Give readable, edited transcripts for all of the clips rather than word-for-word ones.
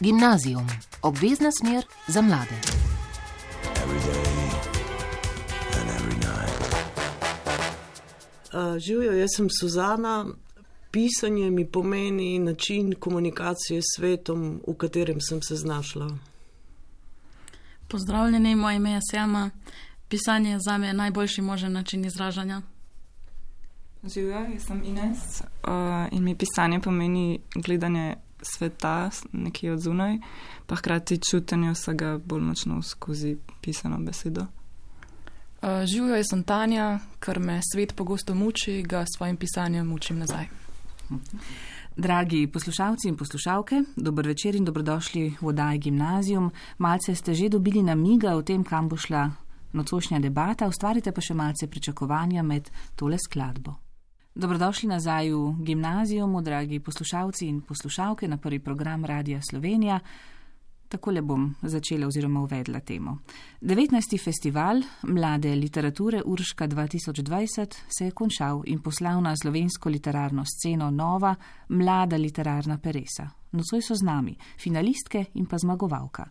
Gimnazijum, obvezna smer za mlade. Živjo, jaz sem Suzana. Pisanje mi pomeni način komunikacije s svetom, v katerem sem se znašla. Pozdravljeni, moje ime je Sjama. Pisanje je zame najboljši možen način izražanja. Živjo, jaz sem Ines in mi pisanje pomeni gledanje sveta nekje od zunaj, pa hkrati čutenje vsega bolj močno skozi pisano besedo. Živjo, jaz sem Tanja, ker me svet pogosto muči, ga s svojim pisanjem mučim nazaj. Dragi poslušalci in poslušalke, dober večer in dobrodošli v oddaji Gimnazijum. Malce ste že dobili namiga o tem, kam bo šla nocojšnja debata, ustvarite pa še malce pričakovanja med tole skladbo. Dobrodošli nazaj v Gimnazijumu, dragi poslušalci in poslušalke, na prvi program Radia Slovenija. Takole bom začela oziroma uvedla temo. 19. festival mlade literature Urška 2020 se je končal in poslal na slovensko literarno sceno nova, mlada literarna peresa. Nocoj so z nami finalistke in pa zmagovalka.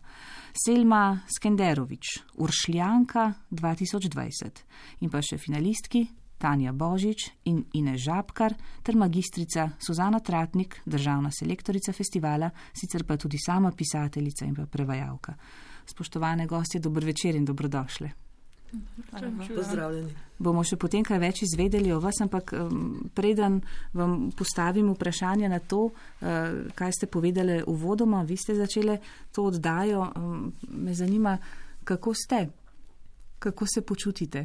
Selma Skenderovič, Uršljanka 2020 in pa še finalistki Tanja Božič in Ines Žabkar ter magistrica Suzana Tratnik, državna selektorica festivala, sicer pa tudi sama pisateljica in pa prevajalka. Spoštovane gostje, dober večer in dobrodošle. Pozdravljeni. Bomo še potem kaj več izvedeli o vas, ampak preden vam postavim vprašanje na to, kaj ste povedali uvodoma, vi ste začeli to oddajo, me zanima, kako ste, kako se počutite.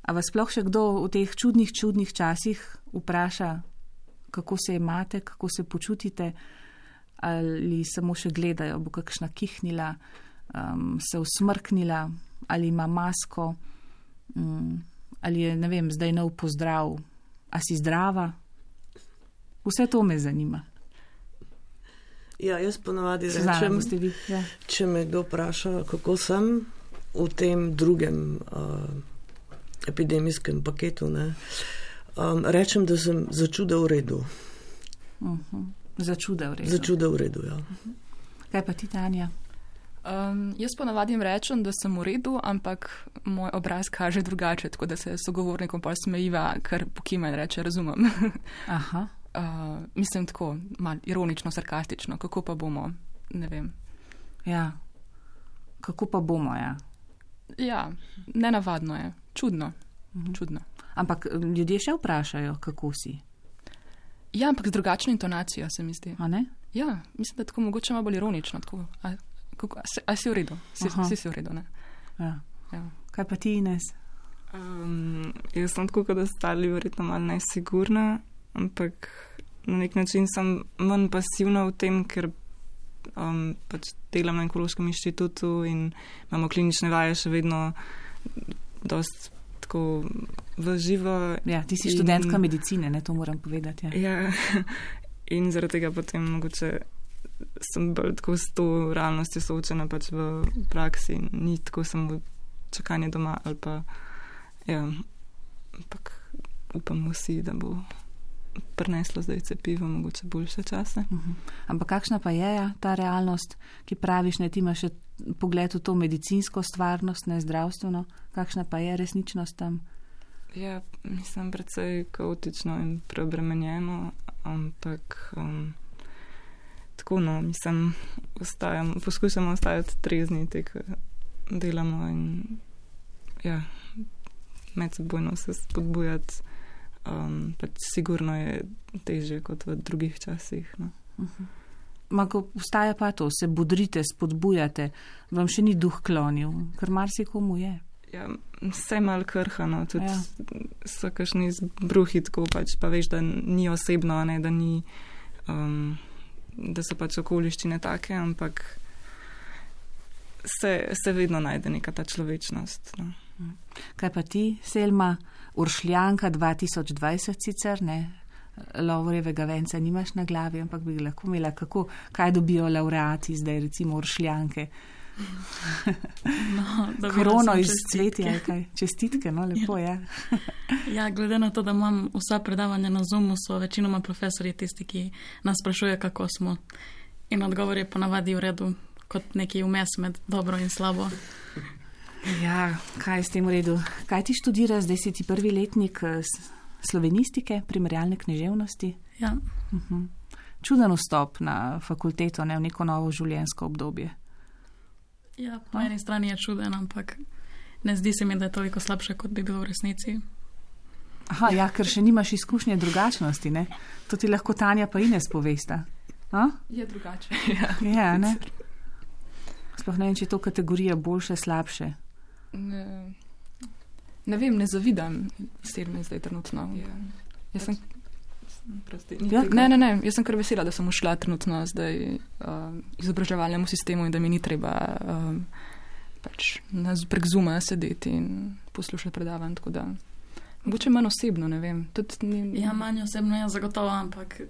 A vas sploh še kdo v teh čudnih časih vpraša, kako se imate, kako se počutite, ali samo še gledajo, bo kakšna kihnila, se usmrknila, ali ima masko, ali je, ne vem, zdaj nov pozdrav, a si zdrava? Vse to me zanima. Ja, jaz ponavadi rečem, če me kdo vpraša, kako sem v tem drugem epidemijskem paketu, rečem, da sem začuda v redu. Začuda v redu. Začuda v redu, ja. Kaj pa ti, Tanja? Jaz ponavadi rečem, da sem v redu, ampak moj obraz kaže drugače, tako da se sogovornikom pa smejiva, ker pokima in reče, razumem. Aha. Mislim tako, malo ironično, sarkastično, kako pa bomo, ne vem. Ja, kako pa bomo, ja. Ja, nenavadno je, čudno. Ampak ljudje še vprašajo, kako si? Ja, ampak z drugačno intonacijo, se mi zdi. A ne? Ja, mislim, da tako mogoče malo bolj ironično. Tako, a si v redu? Si v redu, ne? Ja. Ja. Kaj pa ti, Ines? Jaz sem tako, kot ostali, verjetno malo nesigurna, ampak na nek način sem manj pasivna v tem, ker pač delam na Onkološkem inštitutu in imamo klinične vaje še vedno dost tako v živo. Ja, ti si študentka medicine, ne, to moram povedati. Ja, in zaradi tega potem mogoče sem bolj tako s to realnostjo soočena pač v praksi, ni tako samo čakanje doma ali pa, ja, ampak upamo vsi, da bo prineslo zdaj cepivo, mogoče boljše čase. Ampak kakšna pa je ta realnost, ki praviš, ne, ti imaš še pogled v to medicinsko stvarnost, ne zdravstveno, kakšna pa je resničnost tam? Ja, mislim, precej kaotično in preobremenjeno, ampak tako, no, mislim, poskušamo ostajati trezni, ko delamo in ja, medsebojno se spodbujati. Pač sigurno je težje kot v drugih časih. No. Ko vstaja pa to, se bodrite, spodbujate, vam še ni duh klonil, ker marsikomu je. Ja, vse malo krhano, tudi so kakšni zbruhi tako pač, pa veš, da ni osebno, ne, da ni, da so pač okoliščine take, ampak se vedno najde neka ta človečnost. No. Kaj pa ti, Selma? Uršljanka 2020 sicer, ne, Lovorjevega venca nimaš na glavi, ampak bi lahko imela, kaj dobijo laureati zdaj, recimo Uršljanke. No, Krono iz cvetja, kaj? Čestitke, no, lepo je. Ja, glede na to, da imam vsa predavanja na Zoomu, so večinoma profesori tisti, ki nas sprašujejo, kako smo. In odgovor je ponavadi v redu, kot neki vmes med dobro in slabo. Ja, kaj je s tem v redu? Kaj ti študiraš, zdaj si ti prvi letnik slovenistike, primerjalne književnosti? Ja. Čuden vstop na fakulteto, ne, v neko novo življenjsko obdobje. Ja, po eni strani je čuden, ampak ne zdi se mi, da je toliko slabše, kot bi bilo v resnici. Aha, ja, ker še nimaš izkušnje drugačnosti, ne? To ti lahko Tanja pa Ines povesta. Je drugače. Ja, ne? Sploh ne vem, če je to kategorija boljše, slabše. Ne vem, ne zavidam Selmi zdaj trenutno. Jaz sem... Ne, jaz sem kar vesela, da sem ušla trenutno zdaj izobraževalnemu sistemu in da mi ni treba prek Zooma sedeti in poslušati predavanj, tako da mogoče manj osebno, ne vem. Ja, manj osebno je zagotovo, ampak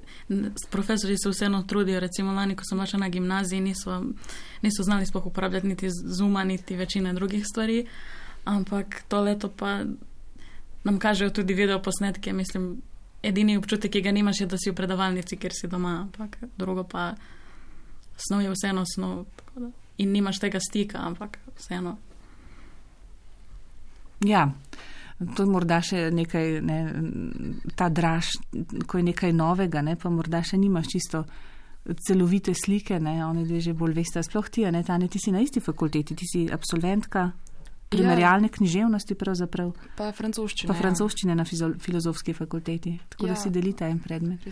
profesori se vseeno trudijo. Recimo lani, ko sem še na gimnaziji, niso znali sploh uporabljati niti Zooma, niti večine drugih stvari, ampak to leto pa nam kažejo tudi video posnetke, mislim, edini občutek, ki ga nimaš, je, da si v predavalnici, ker si doma, ampak drugo pa snov je vseeno snov in nimaš tega stika, ampak vseeno. Ja, to je morda še nekaj, ne, ta draž, ko je nekaj novega, ne, pa morda še nimaš čisto celovite slike, ne, oni dve že bolj veste, sploh ti, ne, Tanja, ti si na isti fakulteti, ti si absolventka primerjalne književnosti pravzaprav. Pa francoščine. Pa francoščine na filozofski fakulteti, tako da si delita en predmet.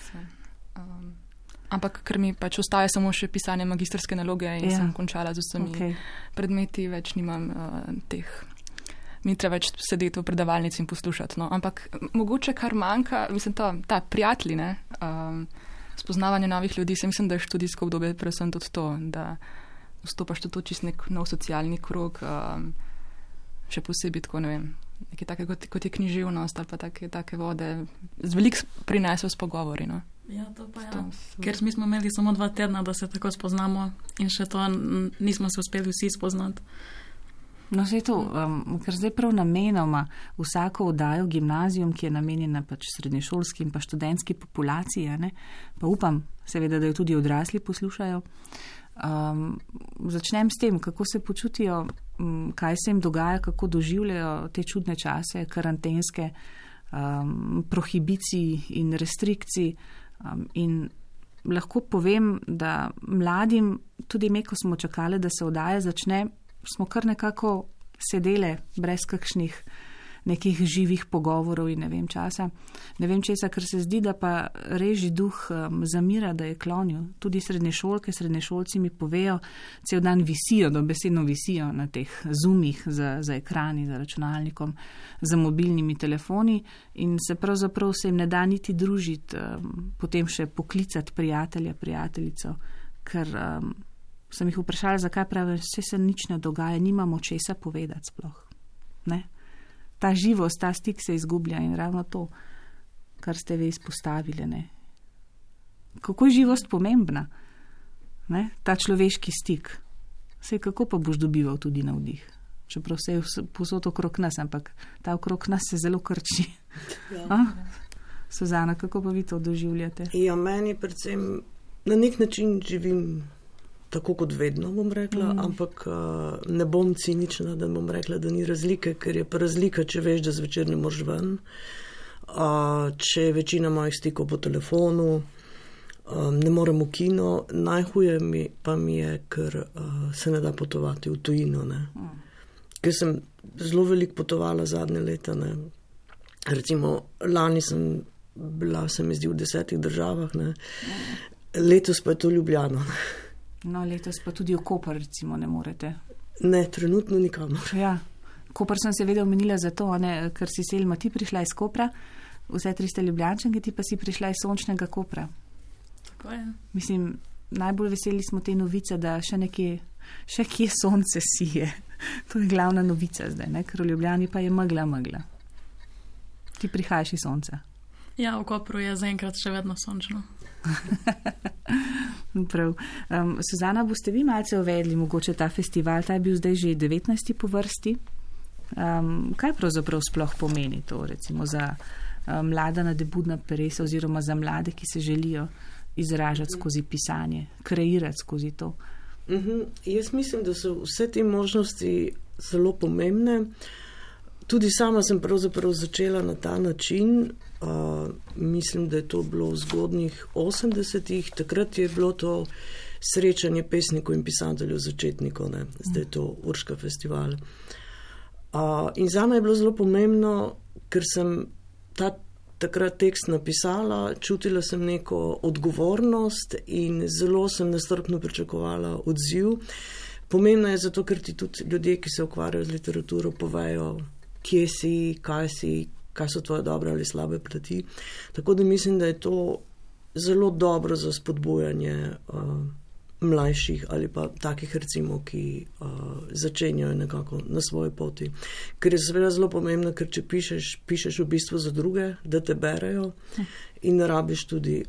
Ampak ker mi pač ostaje samo še pisanje magistrske naloge in sem končala z vsemi predmeti, več nimam teh, mi treba več sedeti v predavalnici in poslušati. No. Ampak mogoče kar manjka, mislim, ta prijatelji, ne, spoznavanje novih ljudi, se mislim, da je študijsko obdobje predvsem tudi to, da vstopaš tudi čist nek nov socialni krog, še posebej tako, ne vem, nekaj takega, kot je književnost ali pa take vode, z veliko prinesel s pogovori, no. Ja, to pa ja. Ker mi smo imeli samo 2 tedna, da se tako spoznamo in še to nismo se uspeli vsi spoznati. No, zdaj to, ker zdaj prav namenoma vsako oddajo gimnazijum, ki je namenjena pač srednješolski in pa študentski populaciji, ne, pa upam, seveda, da jo tudi odrasli poslušajo. Začnem s tem, kako se počutijo, kaj se jim dogaja, kako doživljajo te čudne čase, karantenske, prohibicij in restrikcij. In lahko povem, da mladim, tudi me, ko smo čakali, da se oddaja začne, smo kar nekako sedele brez kakšnih nekih živih pogovorov in ne vem časa. Ne vem česa, ker se zdi, da pa reži duh zamira, da je klonil. Tudi srednješolke, srednješolci mi povejo, cel dan visijo, dobesedno visijo na teh zoomih za ekrani, za računalnikom, za mobilnimi telefoni in se pravzaprav se jim ne da niti družiti, potem še poklicati prijatelja, prijateljico, ker sem jih vprašala, zakaj pravi, vse se nič ne dogaja, nimamo česa povedati sploh. Ne? Ta živost, ta stik se izgublja in ravno to, kar ste vi izpostavili. Ne? Kako je živost pomembna? Ne? Ta človeški stik. Sej kako pa boš dobival tudi navdih? Čeprav se je posod okrog nas, ampak ta okrog nas se zelo krči. Ja. Suzana, kako pa vi to doživljate? Ja, meni predvsem na nek način živim tako kot vedno, bom rekla, ampak ne bom cinična, da bom rekla, da ni razlike, ker je pa razlika, če veš, da zvečer ne moreš ven, če je večina mojih stikov po telefonu, ne morem v kino, najhuje pa mi je, ker se ne da potovati v tujino, ne. Ker sem zelo veliko potovala zadnje leta, ne. Recimo, lani sem bila, se mi zdi, v 10 državah, ne. Letos pa je to Ljubljano, ne. No, letos pa tudi v Koper, recimo, ne morete. Ne, trenutno nikamor. Ja, Koper sem seveda omenila zato, ne, ker si Selma ti prišla iz Kopra, vse 300 Ljubljančanke, ti pa si prišla iz sončnega Kopra. Tako je. Mislim, najbolj veseli smo te novice, da še kje sonce sije. To je glavna novica zdaj, ne, ker v Ljubljani pa je megla. Ti prihajaš iz sonca. Ja, v Kopru je zaenkrat še vedno sončno. Prav. Suzana, boste vi malce uvedli mogoče ta festival, ta je bil zdaj že 19. po vrsti. Kaj pravzaprav sploh pomeni to, recimo za mlada nadebudna peresa oziroma za mlade, ki se želijo izražati skozi pisanje, kreirati skozi to? Jaz mislim, da so vse te možnosti zelo pomembne. Tudi sama sem pravzaprav začela na ta način. Mislim, da je to bilo v zgodnjih 80-ih. Takrat je bilo to srečanje pesnikov in pisateljev začetnikov, ne? Zdaj je to Urška festival. In zame je bilo zelo pomembno, ker sem takrat tekst napisala, čutila sem neko odgovornost in zelo sem nestrpno pričakovala odziv. Pomembno je zato, ker ti tudi ljudje, ki se ukvarjajo z literaturo, povejo, kje si, kaj so tvoje dobre ali slabe plati. Tako da mislim, da je to zelo dobro za spodbujanje mlajših ali pa takih recimo, ki začenjajo nekako na svoji poti. Ker je seveda zelo pomembno, ker če pišeš v bistvu za druge, da te berejo in rabiš tudi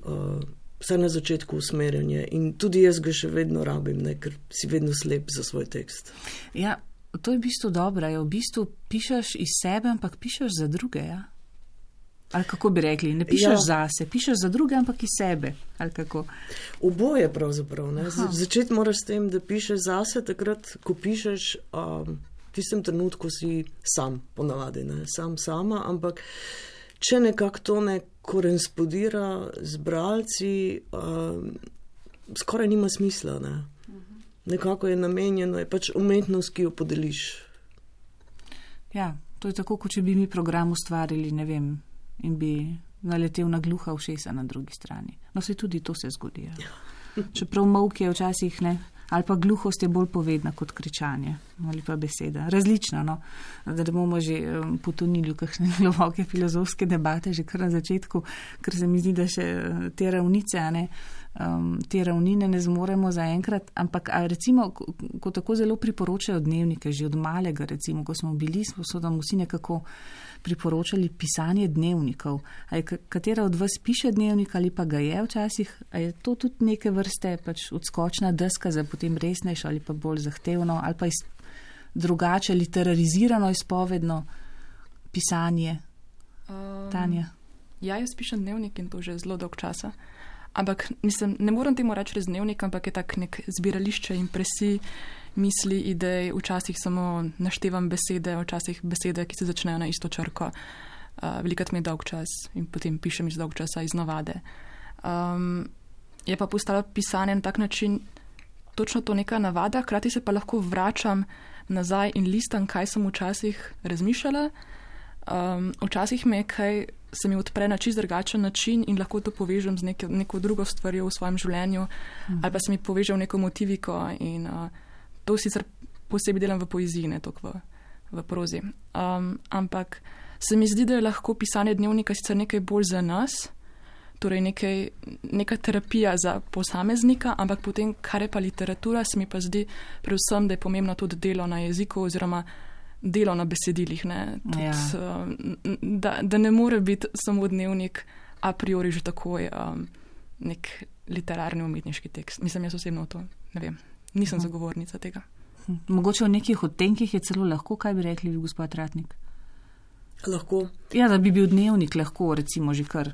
vsaj na začetku usmerjanje. In tudi jaz ga še vedno rabim, ne, ker si vedno slep za svoj tekst. Ja, to je v bistvu dobro. V bistvu pišeš iz sebe, ampak pišeš za druge, ja? Ali kako bi rekli, ne pišeš zase, pišeš za druge, ampak iz sebe, ali kako? Oboje pravzaprav, ne. Začeti moraš s tem, da pišeš zase, takrat, ko pišeš, v tistem trenutku si sam, ponavadi, ne, sama, ampak če nekako to ne korespondira z bralci, skoraj nima smisla, ne. Nekako je namenjeno, je pač umetnost, ki jo podeliš. Ja, to je tako, kot če bi mi program ustvarili, ne vem, in bi naletel na gluha ušesa na drugi strani. No, se tudi to se zgodi. Čeprav molk je včasih, ne, ali pa gluhost je bolj povedna kot kričanje, ali pa beseda. Različna, no, da bomo že potonili v kakšne globoke filozofske debate že kar na začetku, ker se mi zdi, da še te ravnice, ne, te ravnine ne zmoremo zaenkrat, ampak recimo, ko tako zelo priporočajo dnevnike, že od malega recimo, ko smo bili, so nam vsi nekako priporočali pisanje dnevnikov. A je katera od vas piše dnevnik ali pa ga je včasih? A je to tudi neke vrste pač odskočna deska za potem resnejšo ali pa bolj zahtevno ali pa drugače literarizirano izpovedno pisanje? Tanja? Ja, jaz pišem dnevnik in to že zelo dolg časa. Ampak mislim, ne moram temu reči res dnevnik, ampak je tak nek zbirališče impresij, misli, idej, včasih samo naštevam besede, včasih besede, ki se začnejo na isto črko. Velikrat mi je dolg čas in potem pišem iz dolg časa iz navade. Je pa postalo pisanje na tak način točno to neka navada, hkrati se pa lahko vračam nazaj in listam, kaj sem včasih razmišljala. Včasih me kaj se mi odpre na čist drugačen način in lahko to povežem z neko drugo stvarjo v svojem življenju, ali pa se mi poveže v neko motiviko in to sicer posebej delam v poeziji, ne toliko v prozi. Ampak se mi zdi, da je lahko pisanje dnevnika sicer nekaj bolj za nas, torej neka terapija za posameznika, ampak potem, kar je pa literatura, se mi pa zdi predvsem, da je pomembno tudi delo na jeziku oziroma delo na besedilih. Da ne more biti samo dnevnik a priori že takoj nek literarni umetniški tekst. Mislim, jaz osebno to ne vem. Nisem zagovornica tega. Mogoče v nekih odtenkih je celo lahko, kaj bi rekli gospod Ratnik? Lahko. Ja, da bi bil dnevnik lahko recimo že kar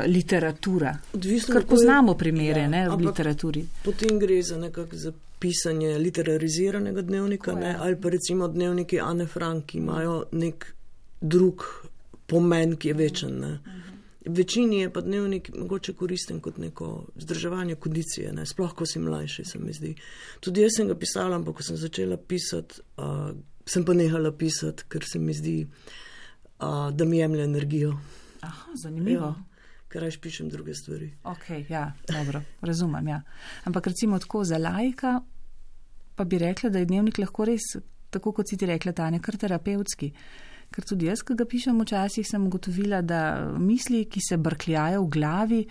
literatura. Odvisno, kar poznamo primere, ne, v literaturi. Potem gre za nekako za pisanje literariziranega dnevnika, ne, ali pa recimo dnevniki Ane Frank, ki imajo nek drug pomen, ki je večen. Ne. Večini je pa dnevnik mogoče koristen kot neko vzdrževanje kondicije, ne, sploh ko si mlajši, se mi zdi. Tudi jaz sem ga pisala, ampak ko sem začela pisati, sem pa nehala pisati, ker se mi zdi, da mi jemlje energijo. Aha, zanimivo. Ja. Ker raje pišem druge stvari. Ok, ja, dobro, razumem, ja. Ampak recimo tako za laika, pa bi rekla, da je dnevnik lahko res, tako kot si ti rekla, Tanja, kar terapevtski. Ker tudi jaz, ko ga pišem včasih, sem ugotovila, da misli, ki se brkljajo v glavi,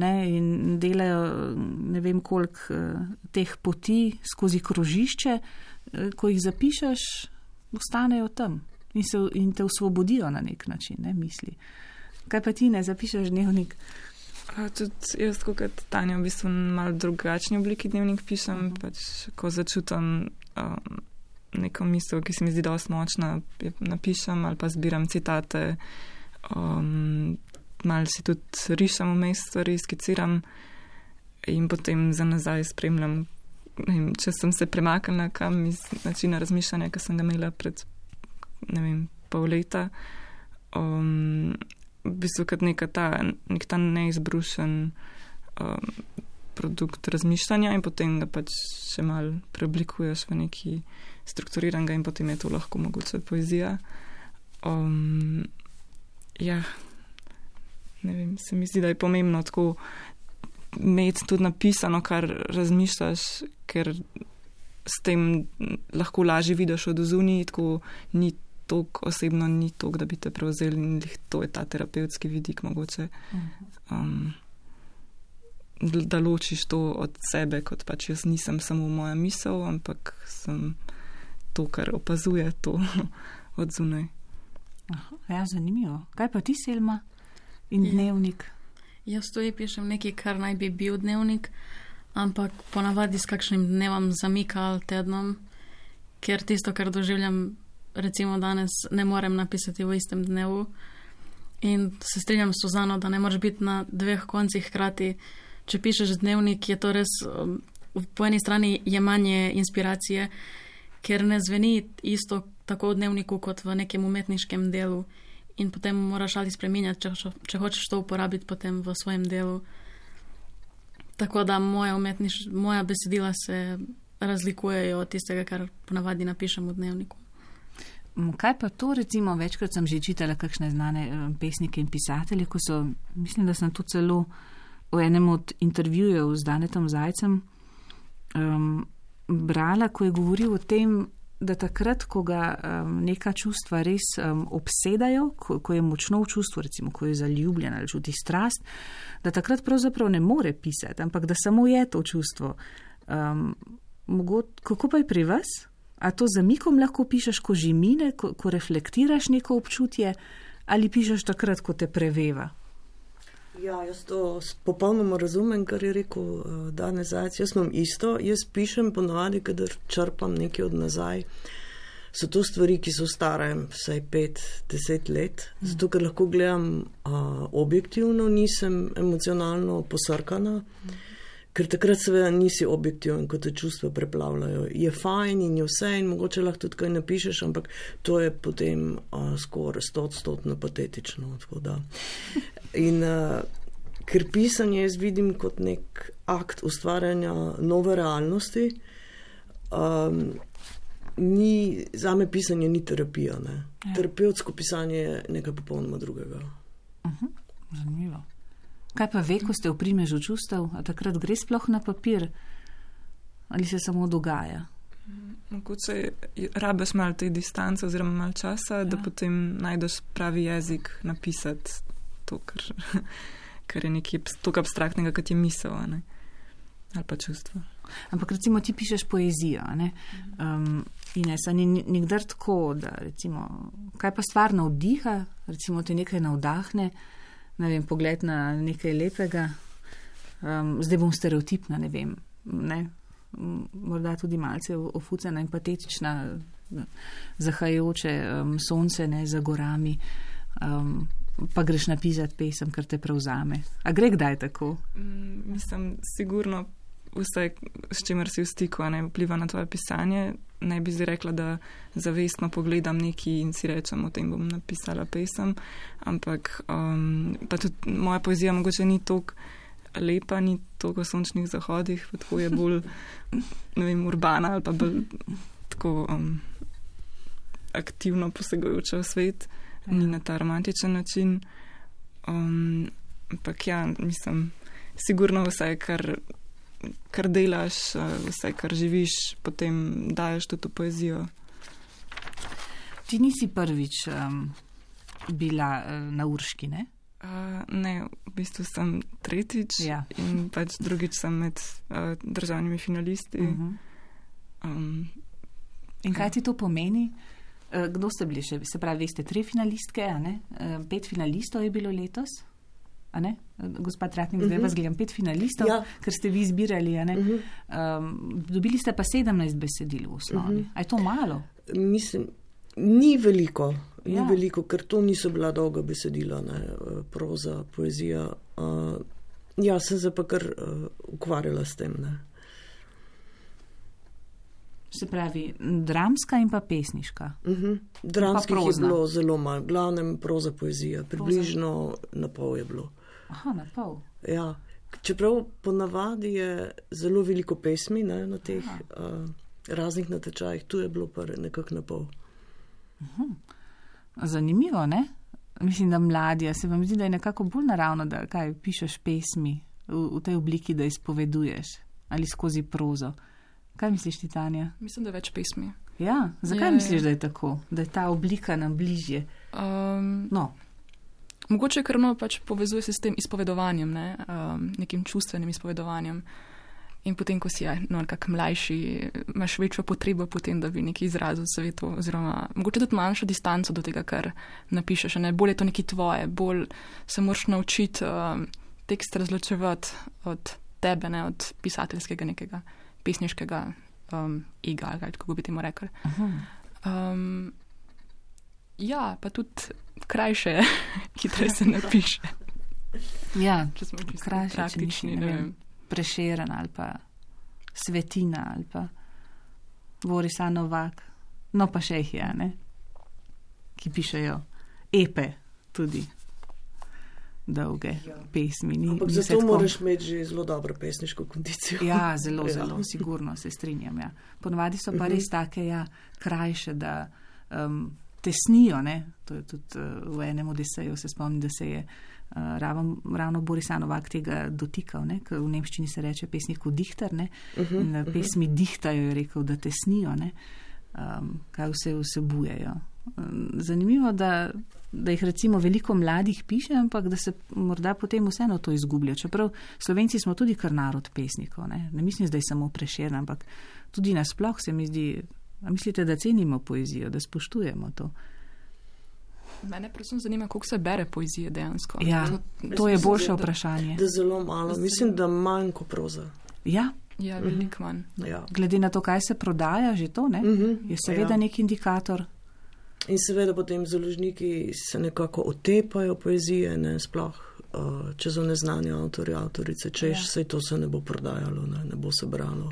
ne, in delajo ne vem koliko teh poti skozi krožišče, ko jih zapišeš, ostanejo tam in te osvobodijo na nek način, ne, misli. Kaj pa ti ne zapišeš dnevnik? Tudi jaz, kot Tanja, v bistvu malo drugačni obliki dnevnik pišem, pač ko začutam neko misel, ki se mi zdi dosti močna, napišem ali pa zbiram citate, malo si tudi rišem vmes stvari, skiciram in potem za nazaj spremljam, če sem se premaknila kam iz načina razmišljanja, ki sem ga imela pred, pol leta, v bistvu kot nek ta neizbrušen produkt razmišljanja in potem ga pač še mal preoblikuješ v neki strukturiranega in potem je to lahko mogoče poezija. Se mi zdi, da je pomembno tako imeti tudi napisano, kar razmišljaš, ker s tem lahko lažje vidiš od zunaj, tako ni toliko osebno, ni toliko, da bi te prevzeli in to je ta terapevtski vidik mogoče. Da ločiš to od sebe, kot pač jaz nisem samo moja misel, ampak sem to, kar opazuje to od zunaj. Ja, zanimivo. Kaj pa ti, Selma? In dnevnik? Jaz tudi pišem nekaj, kar naj bi bil dnevnik, ampak ponavadi s kakšnim dnevom zamika ali tednom, ker tisto, kar doživljam recimo danes, ne morem napisati v istem dnevu. In se strinjam s Suzano, da ne moreš biti na dveh koncih hkrati. Če pišeš dnevnik, je to res po eni strani jemanje inspiracije, ker ne zveni isto tako v dnevniku kot v nekem umetniškem delu. In potem moraš ali spreminjati, če hočeš to uporabiti potem v svojem delu. Tako da moja besedila se razlikujejo od tistega, kar ponavadi napišem v dnevniku. Kaj pa to, recimo, večkrat sem že čitala kakšne znane pesnike in pisatelje, ko so, mislim, da sem to celo v enem od intervjujev z Danetom Zajcem brala, ko je govoril o tem, da takrat, ko ga neka čustva res obsedajo, ko je močno v čustvu, recimo, ko je zaljubljen ali čuti strast, da takrat pravzaprav ne more pisati, ampak da samo je to čustvo. Kako pa je pri vas? A to zamikom lahko pišeš, ko že mine, ko reflektiraš neko občutje, ali pišeš takrat, ko te preveva? Ja, jaz to popolnoma razumem, kar je rekel Danes Zajc. Jaz imam isto, jaz pišem ponavadi, kadar črpam nekaj od nazaj. So to stvari, ki so stare vsaj 5-10 let, zato ker lahko gledam objektivno, nisem emocionalno posrkana, ker takrat seveda nisi objektiven, ko te čustva preplavljajo. Je fajn in je vse in mogoče lahko tudi kaj napišeš, ampak to je potem skoraj 100% patetično. In ker pisanje jaz vidim kot nek akt ustvarjanja nove realnosti, zame pisanje ni terapija. Ne? Ja. Terapevtsko pisanje je nekaj popolnoma drugega. Zanimivo. Kaj pa ve, ko ste v primežu čustev, a takrat gre sploh na papir? Ali se samo dogaja? Mogoče rabiš malo te distance oziroma malo časa, da potem najdeš pravi jezik napisati to, kar je nekaj toliko abstraktnega, kot je misel, ne? Ali pa čustvo. Ampak recimo ti pišeš poezijo, ne? Ines, a ni nikdar tako, da recimo, kaj pa stvar navdiha, recimo te nekaj navdahne, ne vem, pogled na nekaj lepega, zdaj bom stereotipna, ne vem, ne? Morda tudi malce ofucena in patetična, zahajajoče sonce, ne, za gorami, pa greš napisati pesem, kar te prevzame. A gre kdaj tako? Mislim, sigurno vse, s čimer si v stiku, ne vpliva na tvoje pisanje. Ne bi zdaj rekla, da zavestno pogledam nekaj in si rečem, o tem bom napisala pesem, ampak pa tudi moja poezija mogoče ni toliko lepa, ni toliko o sončnih zahodih, pa tako je bolj, ne vem, urbana ali pa bolj tako aktivno posegajoča v svet, ni na ta romantičen način. Ampak ja, mislim, sigurno vse, kar delaš, vse, kar živiš, potem daješ tudi v poezijo. Ti nisi prvič bila na Urški, ne? Ne, v bistvu sem tretjič in pač drugič sem med državnimi finalisti. In kaj ti to pomeni? Kdo ste bili še? Se pravi, ste 3 finalistke, a ne? 5 finalistov je bilo letos? A ne? Gospod Tratnik, zdaj vas gledam 5 finalistov, ker ste vi izbirali, a ne? Dobili ste pa 17 besedil v osnovi. A je to malo? Mislim, ni veliko, ker to niso bila dolga besedila, ne? Proza, poezija. Ja, sem se pa kar ukvarjala s tem. Ne. Se pravi, dramska in pa pesniška. Dramskih je bilo zelo malo, glavnem proza poezija, približno na pol je bilo. Aha, na pol. Ja, čeprav ponavadi je zelo veliko pesmi, ne, na teh raznih natečajih, tu je bilo pa nekako na pol. Zanimivo, ne? Mislim, da mladija, se vam zdi, da je nekako bolj naravno, da kaj pišeš pesmi v tej obliki, da izpoveduješ ali skozi prozo. Kaj misliš ti, Tanja? Mislim, da je več pesmi. Ja, zakaj misliš, da je tako? Da je ta oblika nam bližje? Mogoče ker pač povezuje se s tem izpovedovanjem, ne? Nekim čustvenim izpovedovanjem. In potem, ko si nekako mlajši, imaš večjo potrebo potem, da bi nekaj izrazil svetu, oziroma mogoče tudi manjšo distanco do tega, kar napišeš. Ne? Bolj je to nekaj tvoje, bolj se moraš naučiti tekst razločevati od tebe, ne? Od pisateljskega nekega pesniškega ega, ali kako bi temu rekli. Ja, pa tudi krajše, hitreje se napiše. Ja, če smo čisto krajše, praktični, ne vem. Prešeren ali pa Svetina ali pa Borisa Novak. No pa še jih je, ne? Ki pišejo epe tudi. Dolge pesmi. Ampak zato moraš imeti že zelo dobro pesniško kondicijo. Ja, zelo, sigurno se strinjam. Ja. Ponovadi so pa res take krajše, da tesnijo. Ne? To je tudi v enem Odiseju, se spomnim, da se je ravno Boris Novak tega dotikal, ne? Ker v nemščini se reče pesniku dihter, ne? In pesmi dihtajo, je rekel, da tesnijo, ne? Kaj vse vsebujejo. Zanimivo, da jih recimo veliko mladih piše, ampak da se morda potem vseeno to izgublja. Čeprav Slovenci smo tudi kar narod pesnikov, ne mislim, da je samo Prešeren, ampak tudi nasploh se mi zdi, a mislite, da cenimo poezijo, da spoštujemo to? Mene predvsem zanima, koliko se bere poezije dejansko. Ja, to je boljše vprašanje. Da zelo malo, mislim, da manj kot proza. Ja. Ja, veliko manj. Ja. Glede na to, kaj se prodaja, že to, ne? Je seveda nek indikator. In seveda potem založniki se nekako otepajo poezije, ne, sploh če so neznani avtori, avtorice, češ, saj to se ne bo prodajalo, ne bo se bralo.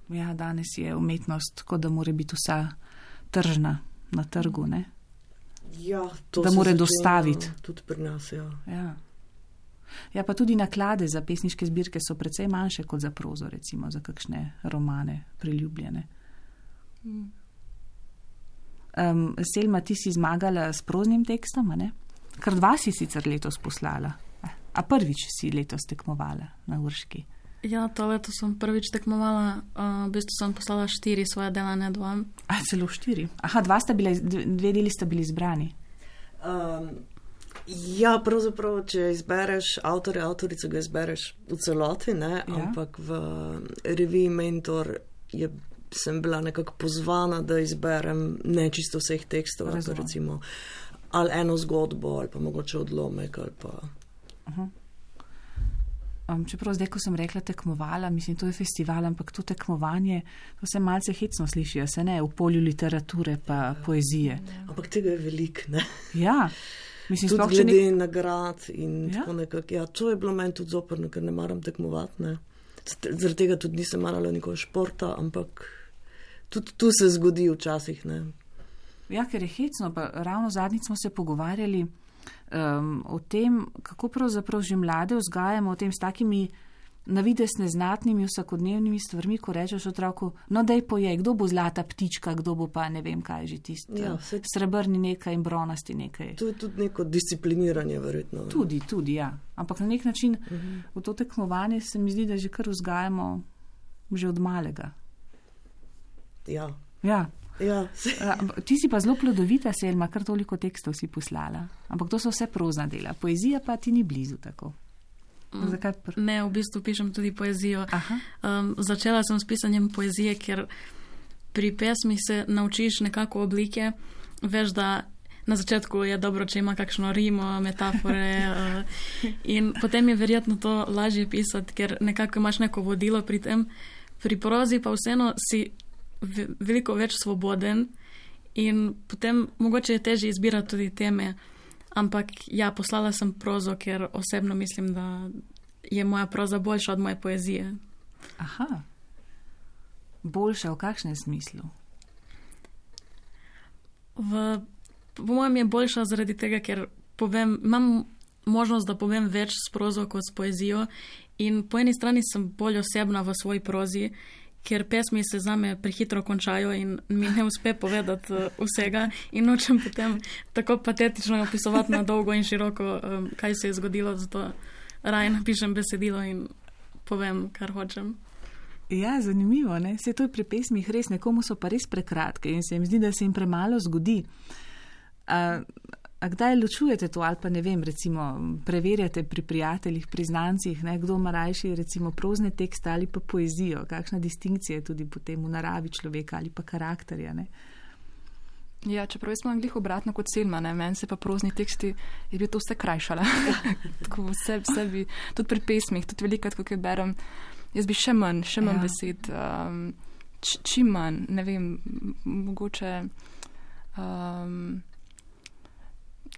Ja, danes je umetnost, kot da mora biti vsa tržna na trgu, ne? Ja, to da mora dostaviti. Tudi pri nas, ja. Ja, pa tudi naklade za pesniške zbirke so precej manjše kot za prozo, recimo, za kakšne romane priljubljene. Selma, ti si zmagala s proznim tekstom, ne? Kar 2 si sicer letos poslala. A prvič si letos tekmovala na Urški? Ja, to leto sem prvič tekmovala. V bistvu sem poslala 4 svoje dela, ne 2. A, celo 4? Aha, 2 deli sta bili izbrani. Ja, pravzaprav, če izbereš avtorja, avtorico, ga izbereš v celoti, ne? Ja. Ampak v reviji Mentor sem bila nekako pozvana, da izberem ne čisto vseh tekstov, recimo, ali eno zgodbo, ali pa mogoče odlomek, ali pa... Čeprav zdaj, ko sem rekla tekmovala, mislim, to je festival, ampak to tekmovanje, to se malce hecno sliši, se ne, v polju literature pa poezije. Ampak tega je veliko, ne? Ja. Mislim, tudi glede nagrad in tako nekako. Ja, to je bilo meni tudi zoprno, ker ne maram tekmovati, ne. Zaradi tega tudi nisem marala nikoli športa, ampak tudi tu se zgodi včasih, ne. Ja, ker je hecno, pa ravno zadnjič smo se pogovarjali o tem, kako pravzaprav že mlade vzgajamo o tem s takimi navidez neznatnimi vsakodnevnimi stvarmi, ko rečeš otroku, no daj pojej, kdo bo zlata ptička, kdo bo pa ne vem kaj že tisti, srebrni nekaj in bronasti nekaj. To je tudi neko discipliniranje verjetno. Tudi, ja. Ampak na nek način v to tekmovanje se mi zdi, da že kar vzgajamo že od malega. Ja. Ja. Ti si pa zelo plodovita, Selma, kar toliko tekstov si poslala. Ampak to so vse prozna dela. Poezija pa ti ni blizu tako. Zakaj? Ne, v bistvu pišem tudi poezijo. Začela sem s pisanjem poezije, ker pri pesmi se naučiš nekako oblike. Veš, da na začetku je dobro, če ima kakšno rimo, metafore in potem je verjetno to lažje pisati, ker nekako imaš neko vodilo pri tem. Pri prozi pa vseeno si veliko več svoboden in potem mogoče je težje izbirati tudi teme, Ampak ja, poslala sem prozo, ker osebno mislim, da je moja proza boljša od moje poezije. Aha. Boljša v kakšnem smislu? Po mojem je boljša zaradi tega, ker imam možnost, da povem več s prozo kot s poezijo in po eni strani sem bolj osebna v svoji prozi, ker pesmi se zame prehitro končajo in mi ne uspe povedati vsega in nočem potem tako patetično opisovati na dolgo in široko, kaj se je zgodilo, zato raje napišem besedilo in povem, kar hočem. Ja, zanimivo, ne? Se to je pri pesmih res, nekomu so pa res prekratke in se jim zdi, da se jim premalo zgodi. A kdaj ločujete to ali pa ne vem, recimo preverjate pri prijateljih, pri znancih, ne, kdo ima rajši recimo prozne tekste ali pa poezijo, kakšna distinkcija je tudi potem v naravi človeka ali pa karakterja, ne? Ja, čeprav jaz imam glih obratno kot Selma, ne, meni se pa prozni teksti je bil to vse krajšala. Tako vse bi, tudi pri pesmih, tudi velikrat, ko berem, jaz bi še manj besed, čim manj, ne vem, mogoče...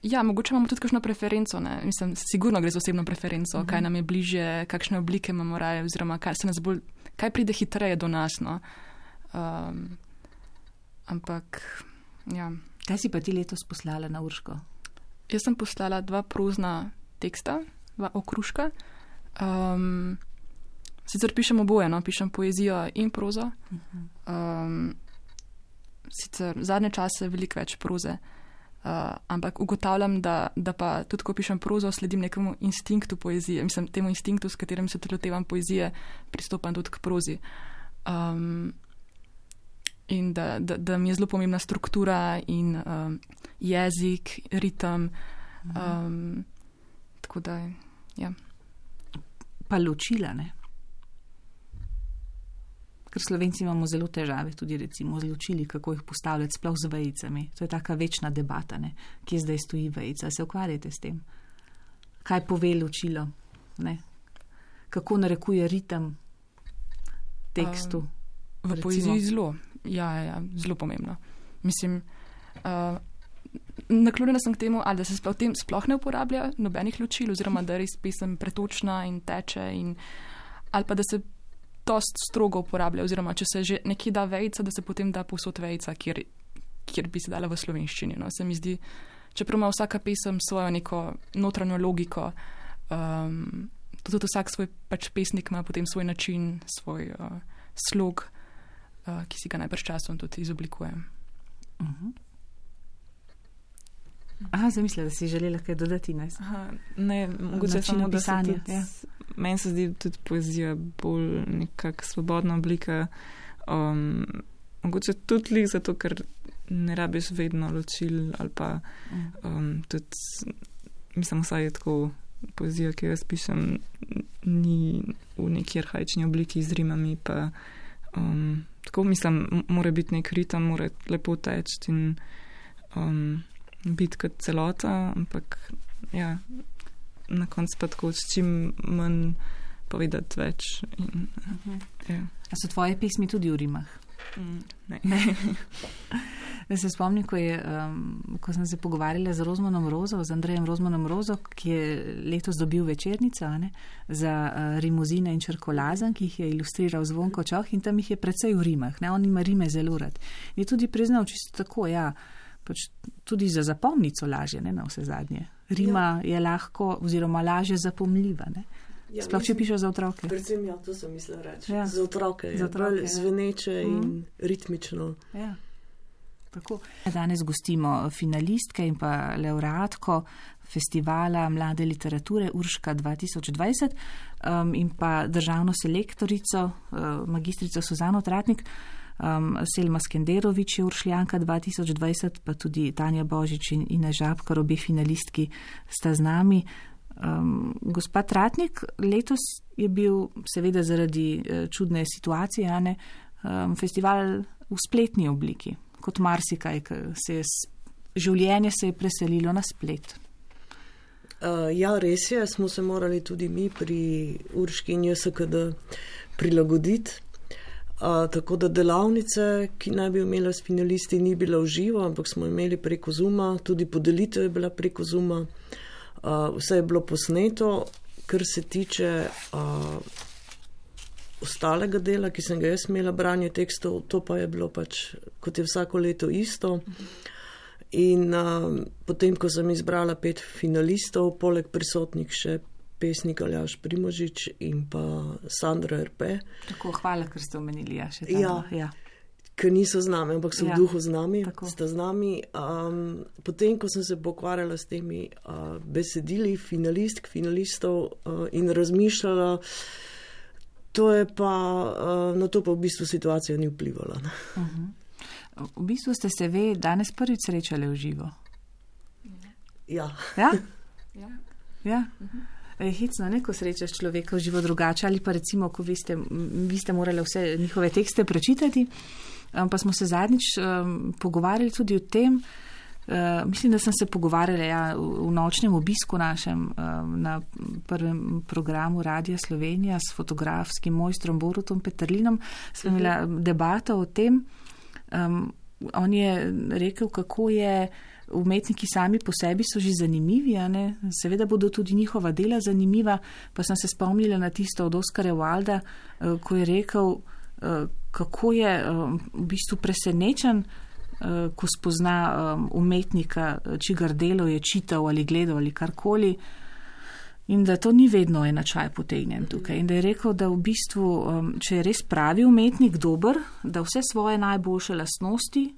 Ja, mogoče imamo tudi kakšno preferenco, ne? Mislim, sigurno gre za osebno preferenco, kaj nam je bližje, kakšne oblike imamo raje, oziroma kaj pride hitreje do nas, no. Ampak, ja. Kaj si pa ti letos poslala na Urško? Jaz sem poslala 2 prozna teksta, 2 okruška. Sicer pišem oboje, no, pišem poezijo in prozo. Sicer zadnje čase veliko več proze. Ampak ugotavljam, da pa tudi, ko pišem prozo, sledim nekemu instinktu poezije. Mislim, temu instinktu, s katerim se tudi lotevam poezije, pristopam tudi k prozi. In da mi je zelo pomembna struktura in jezik, ritem. Tako da, ja. Pa ločila, ne? Ker Slovenci imamo zelo težave tudi recimo z ločili, kako jih postavljati sploh z vejicami. To je taka večna debata, ne? Kje zdaj stoji vejica. Se ukvarjate s tem? Kaj pove ločilo? Ne? Kako narekuje ritem tekstu? V poeziji zelo. Ja, zelo pomembno. Mislim, naklonjena sem k temu, ali da se v tem sploh ne uporablja nobenih ločil, oziroma da res pesem pretočna in teče, ali pa da se dost strogo uporablja, oziroma če se že nekje da vejica, da se potem da povsod vejica, kjer bi se dala v slovenščini. No. Se mi zdi, čeprav ima vsaka pesem svojo neko notranjo logiko, tudi vsak svoj pač pesnik ima potem svoj način, svoj slog, ki si ga najbrž časom tudi izoblikuje. Aha, zamislila, da si želela kaj dodati, ne? Ne, mogoče samo, da se tudi, meni se zdi tudi poezija bolj nekak svobodna oblika, mogoče tudi lih zato, ker ne rabiš vedno ločil, ali pa tudi, mislim, vsaj je tako, poezija, ki jaz pišem, ni v neki arhaični obliki z rimami, pa tako, mislim, mora biti nek ritem, mora lepo teči in biti kot celota, ampak ja, na koncu pa tako s čim manj povedati več. Ja. A so tvoje pesmi tudi v rimah? Ne. Da se spomnim, ko sem se pogovarjala z Rozmanom Rozo, z Andrejem Rozmanom Rozo, ki je letos dobil Večernico, ne, za rimuzine in črkolazan, ki jih je ilustriral Zvonko Čoh, in tam jih je precej v rimah. Ne, on ima rime zelo rad. Je tudi priznal čisto tako, ja, pač tudi za zapomnico lažje, ne, na vse zadnje. Rima je lahko, oziroma lažje zapomljiva, ne. Ja, sploh, če pišeš za otroke. Predvsem, ja, to sem mislila reči. Ja. Za otroke je bolj zveneče in ritmično. Ja, tako. Danes gostimo finalistke in pa laureatko festivala mlade literature Urška 2020 in pa državno selektorico, magistrico Suzano Tratnik. Selma Skenderovič je Uršljanka 2020, pa tudi Tanja Božič in Ina Žabkar, obe finalistki sta z nami. Gospod Tratnik, letos je bil seveda zaradi čudne situacije, ne, festival v spletni obliki, kot marsikaj, življenje se je preselilo na splet. Ja, res je, smo se morali tudi mi pri Urški in JSKD prilagoditi. Tako da delavnice, ki naj bi imela s finalisti, ni bila v živo, ampak smo imeli preko Zooma, tudi podelitev je bila preko Zooma. Vse je bilo posneto, kar se tiče ostalega dela, ki sem ga jaz imela, branje tekstov, to pa je bilo pač, kot je vsako leto isto. In potem, ko sem izbrala 5 finalistov, poleg prisotnih še pesnik Aljaž Primožič in pa Sandra RP. Tako, hvala, ker ste omenili, še tam. Ja. Ker niso z nami, ampak so v duhu z nami, sta z nami. Potem, ko sem se pokvarjala s temi besedili finalistov in razmišljala, na to pa v bistvu situacija ni vplivala. V bistvu ste se danes prvič srečali v živo? Ja. Ja? Ja. Hecno, ko srečaš človeka v živo drugače, ali pa recimo, ko vi ste morali vse njihove tekste prečitati, pa smo se zadnjič pogovarjali tudi o tem, mislim, da sem se pogovarjala v nočnem obisku našem na prvem programu Radia Slovenija s fotografskim mojstrom Borutom Peterlinom, smo imeli debato o tem, on je rekel, kako je umetniki sami po sebi so že zanimivi, seveda bodo tudi njihova dela zanimiva, pa sem se spomnila na tisto od Oskarja Wilda, ko je rekel, kako je v bistvu presenečen, ko spozna umetnika, čigar delo je čital ali gledal ali karkoli, in da to ni vedno enačaj potegnjen tukaj. In da je rekel, da v bistvu, če je res pravi umetnik dober, da vse svoje najboljše lastnosti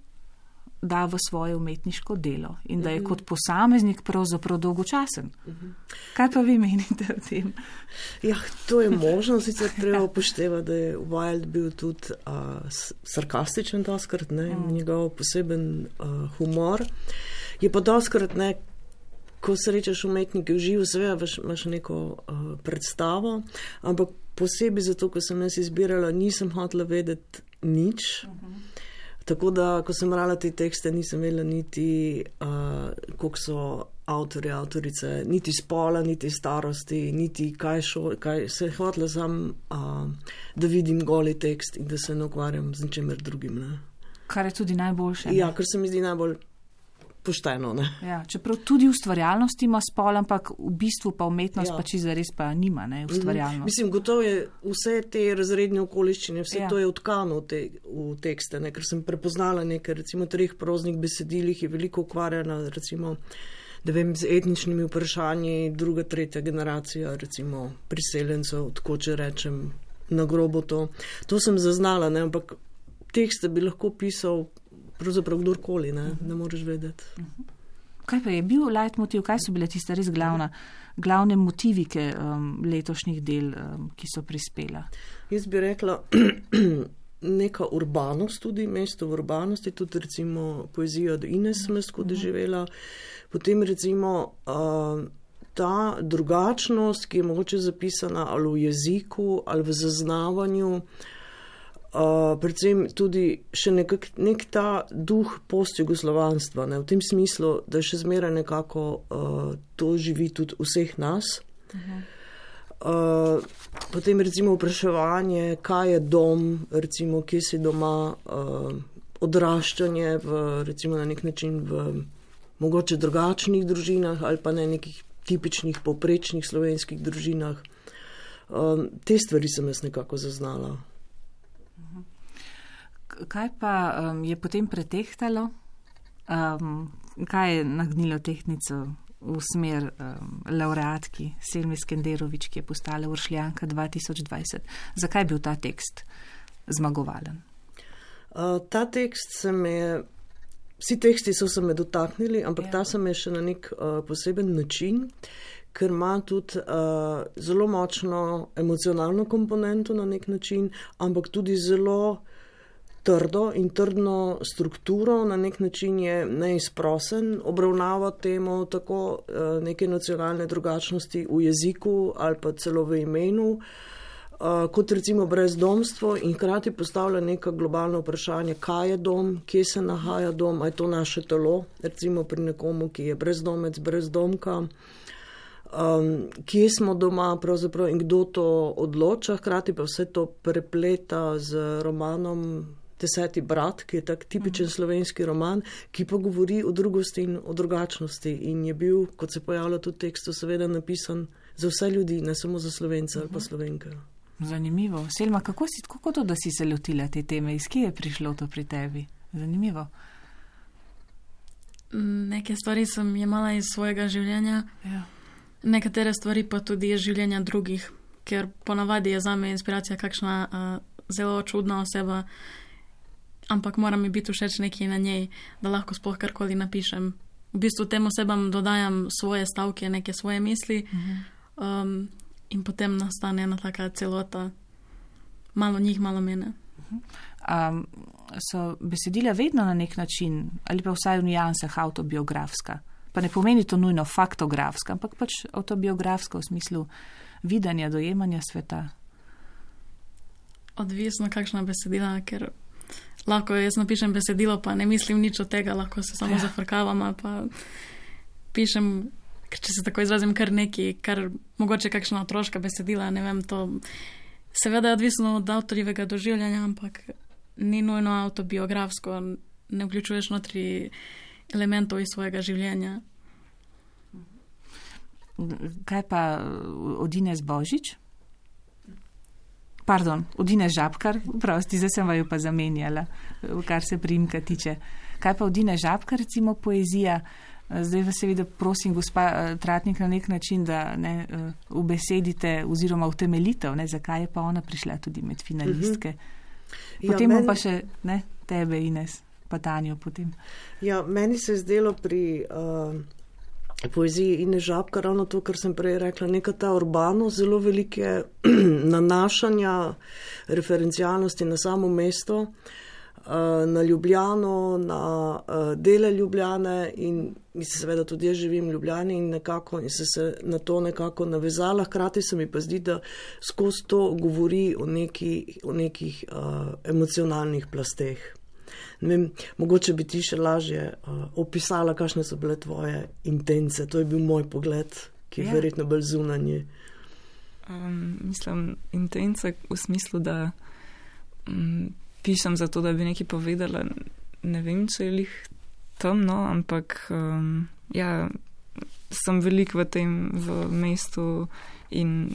da v svoje umetniško delo in da je kot posameznik pravzaprav dolgočasen. Kaj pa vi menite o tem? Ja, to je možno, sicer treba upoštevati, da je Wild bil tudi sarkastičen doskrat, njegov poseben humor. Je pa doskrat, ko srečaš umetnike v živo, seveda imaš neko predstavo, ampak posebej zato, ko sem jaz izbirala, nisem hotela vedeti nič. Tako da, ko sem brala te tekste, nisem vedela niti, koliko so avtorji, avtorice, niti spola, niti starosti, niti kaj se je hotela sam, da vidim goli tekst in da se ne ukvarjam z ničemer drugim. Kar je tudi najboljše. Ja, kar se mi zdi najbolj pošteno. Ja, čeprav tudi ustvarjalnost ima spol, ampak v bistvu pa umetnost pa čisto res pa nima, ustvarjalnost. Mislim, gotovo je vse te razredne okoliščine, vse to je utkano v tekste, ker sem prepoznala nekaj, recimo 3 proznih besedilih je veliko ukvarjena, recimo, da vem, z etničnimi vprašanji, 2., 3. generacija, recimo, priseljencev, tako če rečem, na grobo to. To sem zaznala, ampak tekste bi lahko pisal pravzaprav kdorkoli, ne moreš vedeti. Kaj pa je bil leitmotiv, kaj so bile tiste res glavne motivike letošnjih del, ki so prispela? Jaz bi rekla, neka urbanost tudi, mesto v urbanosti, tudi recimo poezija od Ines sem jaz skozi živela, potem recimo ta drugačnost, ki je mogoče zapisana ali v jeziku, ali v zaznavanju, predvsem tudi še nek ta duh postjugoslovanstva, v tem smislu, da še zmeraj nekako to živi tudi vseh nas. Potem recimo vpraševanje, kaj je dom, recimo, kje si doma, odraščanje recimo na nek način v mogoče drugačnih družinah ali pa ne nekih tipičnih povprečnih slovenskih družinah. Te stvari sem jaz nekako zaznala. Kaj pa je potem pretehtalo? Kaj je nagnilo tehtnico v smer laureatki Selmi Skenderović, ki je postala Uršljanka 2020? Zakaj je bil ta tekst zmagovalen? Ta tekst vsi teksti so se me dotaknili, ampak ta se me še na nek poseben način, ker ima tudi zelo močno emocionalno komponento na nek način, ampak tudi zelo trdo in trdno strukturo, na nek način je neizprosen, obravnava temo tako neke nacionalne drugačnosti v jeziku ali pa celo v imenu, kot recimo brezdomstvo in hkrati postavlja neka globalna vprašanja, kaj je dom, kje se nahaja dom, a je to naše telo, recimo pri nekomu, ki je brezdomec, brezdomka. kje smo doma pravzaprav in kdo to odloča, hkrati pa vse to prepleta z romanom 10. brat, ki je tak tipičen slovenski roman, ki pa govori o drugosti in o drugačnosti in je bil, kot se pojavlja tudi v tekstu, seveda napisan za vse ljudi, ne samo za Slovence ali pa Slovenke. Zanimivo. Selma, kako to, da si se lotila te teme? Iz kje je prišlo to pri tebi? Zanimivo. Neke stvari sem jemala iz svojega življenja, nekatere stvari pa tudi iz življenja drugih, ker ponavadi je zame inspiracija kakšna zelo čudna oseba, ampak mora mi biti všeč nekaj na njej, da lahko sploh karkoli napišem. V bistvu tem osebam dodajam svoje stavke, neke svoje misli in potem nastane ena taka celota. Malo njih, malo mene. So besedila vedno na nek način, ali pa vsaj v nijansah avtobiografska? Pa ne pomeni to nujno faktografska, ampak pač avtobiografska v smislu videnja, dojemanja sveta. Odvisno kakšna besedila, ker lahko jaz napišem besedilo, pa ne mislim nič od tega, lahko se samo zafrkavam ali pa pišem, če se tako izrazim, kar neki, kar mogoče kakšna otroška besedila, ne vem, to seveda je odvisno od avtorjevega doživljanja, ampak ni nujno avtobiografsko, ne vključuješ notri elementov iz svojega življenja. Kaj pa od Ines Božič? Pardon, od Ines Žabkar, prosti, zdaj sem vaju pa zamenjala, kar se priimka tiče. Kaj pa od Ines Žabkar, recimo poezija? Zdaj vas seveda prosim, gospa Tratnik, na nek način, da ubesedite oziroma utemeljitev, zakaj je pa ona prišla tudi med finalistke. Potem pa še tebe, Ines, pa Tanjo potem. Ja, meni se je zdelo pri poeziji Ines Žabkar ravno to, kar sem prej rekla, neka ta urbano, zelo velike nanašanja, referencialnosti na samo mesto, na Ljubljano, na dele Ljubljane in mislim seveda tudi jaz živim v Ljubljani in se na to nekako navezala. Hkrati se mi pa zdi, da skozi to govori o nekih emocionalnih plasteh. Ne vem, mogoče bi ti še lažje opisala, kakšne so bile tvoje intence. To je bil moj pogled, ki je verjetno bolj zunanji. Mislim, intence v smislu, da pišem zato, da bi nekaj povedala. Ne vem, če je lih temno, ampak sem veliko v mestu in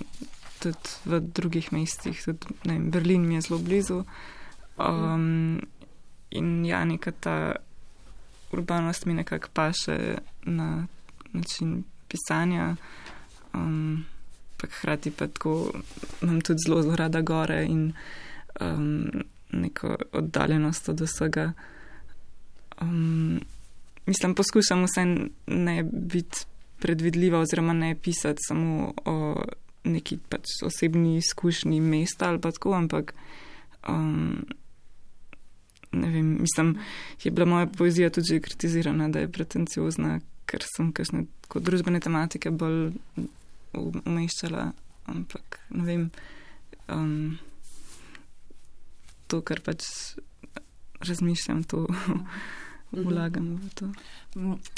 tudi v drugih mestih. Tudi, ne vem, Berlin mi je zelo blizu. In neka ta urbanost mi nekako paše na način pisanja, pa hkrati pa tako imam tudi zelo rada gore in neko oddaljenost od vsega. Mislim, poskušam vsaj ne biti predvidljiva oziroma ne pisati samo o neki pač osebni izkušnji mesta ali pa tako, ampak ne vem, mislim, je bila moja poezija tudi kritizirana, da je pretenciozna, ker sem kakšne družbene tematike bolj umeščala, ampak ne vem, to, kar pač razmišljam, to vlagam v to.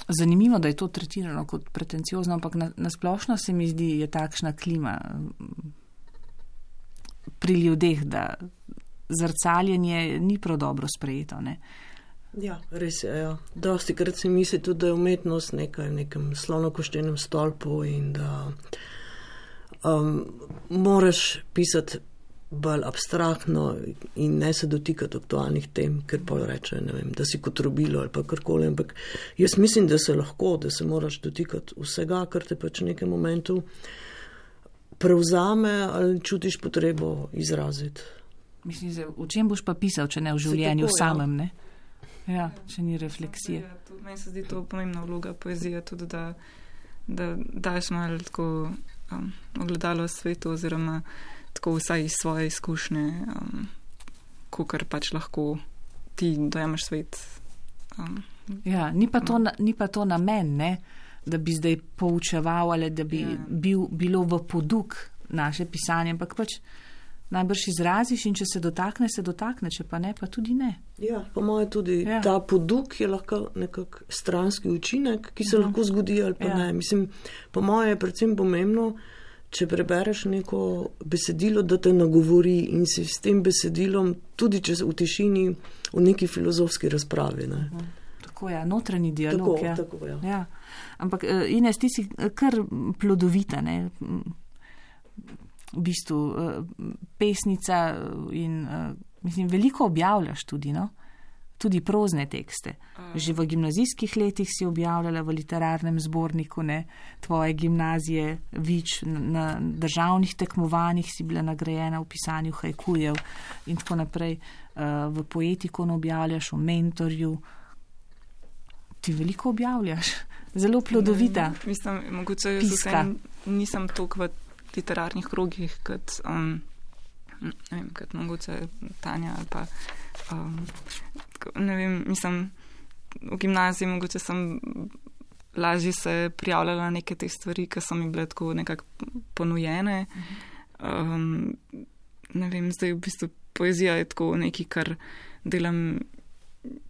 Zanimivo, da je to tretirano kot pretenciozno, ampak nasplošno se mi zdi, je takšna klima pri ljudeh, da zrcaljenje ni prav dobro sprejeto, ne? Ja, res je, ja. Dosti krat se misli tudi, da je umetnost nekaj v nekem slonokoščenem stolpu in da moraš pisati bolj abstraktno in ne se dotikati aktualnih tem, ker pa reče, ne vem, da si kot robilo ali pa karkoli, ampak jaz mislim, da se lahko, da se moraš dotikati vsega, kar te pač v nekem momentu prevzame ali čutiš potrebo izraziti. Mislim, v čem boš pa pisal, če ne v življenju tako, samem, ne? Ja, če ni refleksije. Meni se zdi to pomembna vloga poezije, tudi da daš malo tako ogledalo svetu oziroma tako vsaj iz svoje izkušnje, kakor pač lahko ti dojemaš svet. Ja, ni pa to namen, ne? Da bi zdaj poučeval ali da bi bilo v poduk naše pisanje, ampak pač najbrž izraziš in če se dotakne, če pa ne, pa tudi ne. Ja, po moje tudi ta poduk je lahko nekak stranski učinek, ki se lahko zgodi ali pa ne. Mislim, po moje je predvsem pomembno, če prebereš neko besedilo, da te nagovori in si s tem besedilom, tudi če v tišini, v neki filozofski razpravi. Ne. Tako je, notranji dialog. Tako, ja. Ja. Ampak Ines, ti si kar plodovita, ne? V bistvu pesnica in mislim, veliko objavljaš tudi, no? Tudi prozne tekste. Že v gimnazijskih letih si objavljala v literarnem zborniku, ne? Tvoje gimnazije, Vič, na državnih tekmovanjih si bila nagrajena v pisanju hajkujev in tako naprej. V Poetikon objavljaš, v Mentorju. Ti veliko objavljaš. Zelo plodovita. Mislim, mogoče nisem toliko v literarnih krogih, kot mogoče Tanja ali pa ne vem, mislim, v gimnaziji mogoče sem lažje se prijavljala na neke te stvari, ki so mi bile tako nekako ponujene. Ne vem, zdaj v bistvu poezija je tako nekaj, kar delam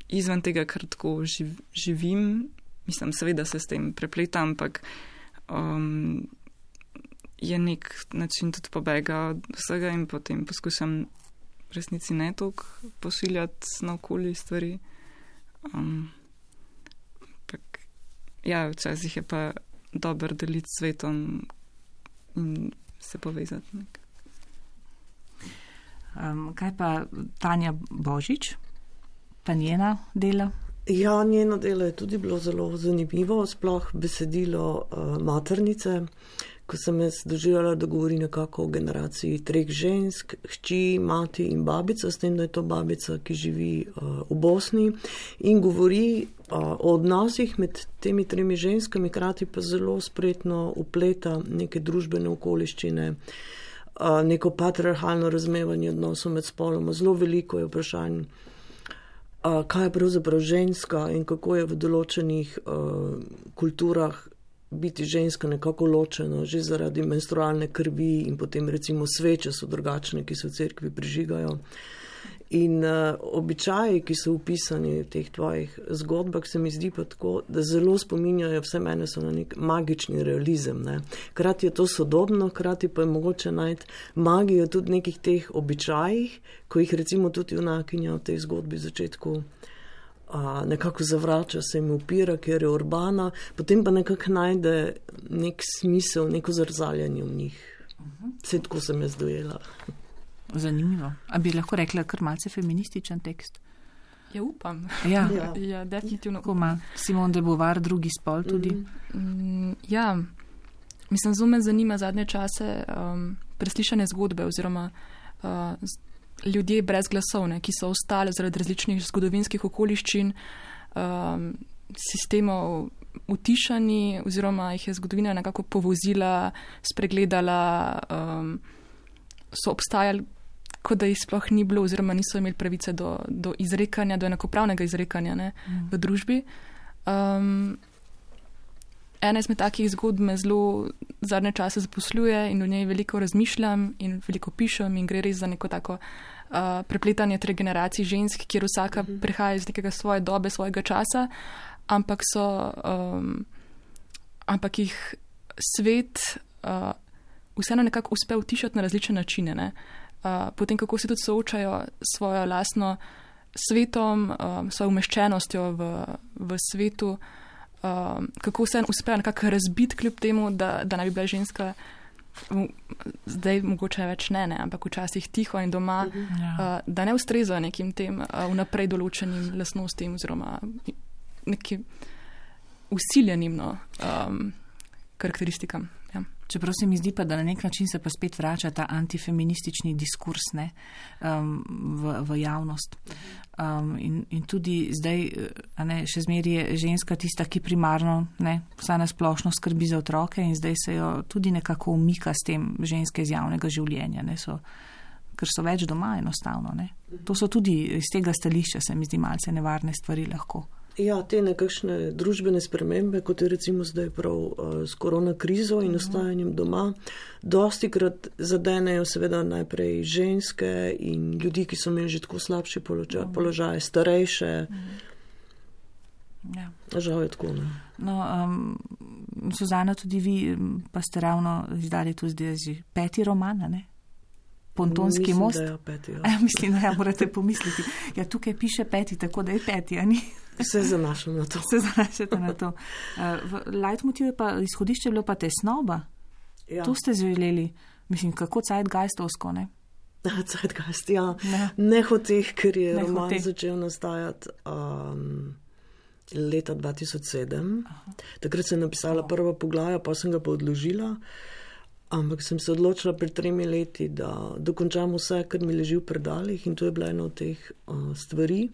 izven tega, kar tako živim. Mislim, seveda se s tem prepletam, ampak je nek način tudi pobega od vsega in potem poskušam v resnici ne toliko pošiljati naokoli stvari. Ja, včasih je pa dobro deliti s svetom in se povezati. Kaj pa Tanja Božič, pa njena dela? Ja, njeno delo je tudi bilo zelo zanimivo, sploh besedilo maternice, ko sem jaz doživljala, da govori nekako o generaciji 3 žensk, hči, mati in babica, s tem, da je to babica, ki živi v Bosni in govori o odnosih med temi 3 ženskami, krati pa zelo spretno upleta neke družbene okoliščine, neko patriarhalno razumevanje odnosov med spoloma. Zelo veliko je vprašanj, kaj je pravzaprav ženska in kako je v določenih kulturah biti ženska nekako ločeno, že zaradi menstrualne krvi in potem recimo sveče so drugačne, ki se v cerkvi prižigajo. In običaji, ki so upisani v teh tvojih zgodbah, se mi zdi pa tako, da zelo spominjajo, vse mene so na nek magični realizem. Ne. Krati je to sodobno, krati pa je mogoče najti magijo tudi nekih teh običajih, ko jih recimo tudi junakinja v tej zgodbi začetku nekako zavrača, se jim upira, ker je urbana, potem pa nekako najde nek smisel, neko zrzaljanje v njih. Vse tako sem jaz dojela. Zanimivo. A bi lahko rekla kar malce feminističen tekst? Ja, upam. Ja, ja definitivno. Upam. Simone de Beauvoir, drugi spol tudi. Ja, mislim, zelo me zanima zadnje čase preslišane zgodbe oziroma ljudje brez glasovne, ki so ostali zaradi različnih zgodovinskih okoliščin, sistemov utišani oziroma jih je zgodovina nekako povozila, spregledala, so obstajali, kot da jih sploh ni bilo oziroma niso imeli pravice do izrekanja, do enakopravnega izrekanja, ne, v družbi. Ena izmed takih zgodb me zelo zadnje čase zaposluje in o njej veliko razmišljam in veliko pišem in gre res za neko tako prepletanje 3 generacij žensk, kjer vsaka prihaja iz nekega svoje dobe, svojega časa, ampak jih svet vseeno nekako uspe utišati na različne načine. Ne? Potem, kako se tudi soočajo s svojo lastno svetom, svojo umeščenostjo v svetu, kako se uspejo nekako razbiti kljub temu, da naj bi bila ženska zdaj mogoče več ne, ampak včasih tiho in doma, da ne ustrezajo nekim tem vnaprej določenim lastnostim oziroma nekim usiljenim karakteristikam. Ja. Čeprav se mi zdi pa, da na nek način se pa spet vrača ta antifeministični diskurs v javnost. In tudi zdaj še zmeraj je ženska tista, ki primarno vsaj na splošno skrbi za otroke in zdaj se jo tudi nekako umika s tem ženske iz javnega življenja, ker so več doma enostavno. To so tudi iz tega stališča, se mi zdi, malce nevarne stvari lahko. Ja, te nekakšne družbene spremembe, kot je recimo zdaj prav s korona krizo in ostajanjem doma, dosti krat zadenejo seveda najprej ženske in ljudi, ki so imeli že tako slabši položaj, starejše. Ja. Žal je tako, ne. No, Suzana, tudi vi pa ste ravno izdali tu zdaj že 5. roman, ne? Pontonski most. Mislim, da je 5. Ja. Mislim, da morate pomisliti. Ja, tukaj piše 5, tako da je 5, a ni? Se zanašam na to. Se zanašate na to. Leitmotiv je pa, izhodišče je bilo pa tesnoba. Ja. To ste želeli, mislim, kako zeitgeistovsko, ne? Zeitgeist, ja. Nehoteh, ker je Nehoteh. roman začel nastajati leta 2007. Aha. Takrat sem napisala prva poglavja, pa sem ga pa odložila. Ampak sem se odločila pred 3 leti, da dokončam vse, kar mi leži v predalih, in to je bila ena od teh stvari.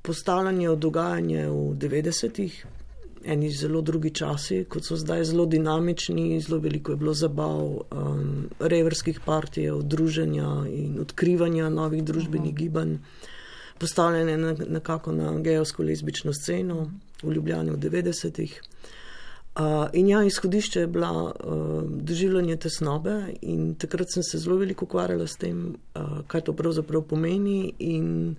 Postavljanje dogajanja v 90-ih, eni zelo drugi časi, kot so zdaj, zelo dinamični, zelo veliko je bilo zabav, reverskih partijev, druženja in odkrivanja novih družbenih gibanj, postavljanje nekako na gejevsko-lezbično sceno v Ljubljani v 90-ih. In ja, izhodišče je bila doživljanje tesnobe in takrat sem se zelo veliko ukvarjala s tem, kaj to pravzaprav pomeni in